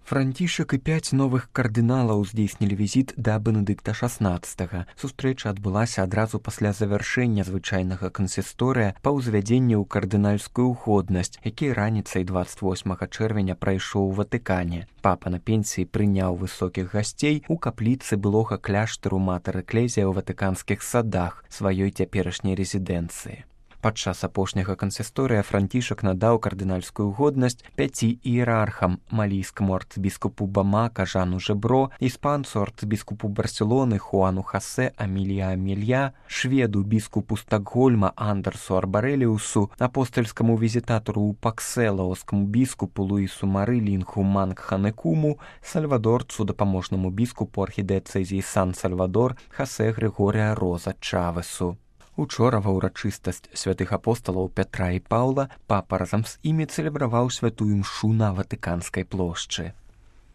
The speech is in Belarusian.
Францішак і 5 новых кардыналаў здзейснілі візіт да Бенедыкта XVI. Сустрэча адбылася адразу пасля завяршэння звычайнага кансісторыя па ўзвядзенні ў кардынальскую годнасць, які раніцай 28 чэрвеня прайшоў у Ватыкане. Папа на пенсіі прыняў высокіх гасцей у капліцы былога кляштару Матэр Эклезія ў ватыканскіх садах, сваёй цяперашняй рэзідэнцыі. Падчас апошняга кансісторыя Францішак надаў кардынальскую годнасць 5 іерархам: малійскаму арцбіскупу Бамака Жану Жебро, іспанцу арцбіскупу Барселоны Хуану Хасе Амілія Амелья, шведу біскупу Стакгольма Андерсу Арбареліусу, апостальскаму візітатару ў Паксе лаоскаму біскупу Луісу Мары Лінху Мангханекуму, сальвадорцу дапаможнаму біскупу архідыцэзіі Сан-Сальвадор Хасе Григорія Роза Чавесу. Учора ва ўрачыстасць святых апосталаў Пятра і Паўла папа разам з імі цэлебраваў святую імшу на Ватыканскай плошчы.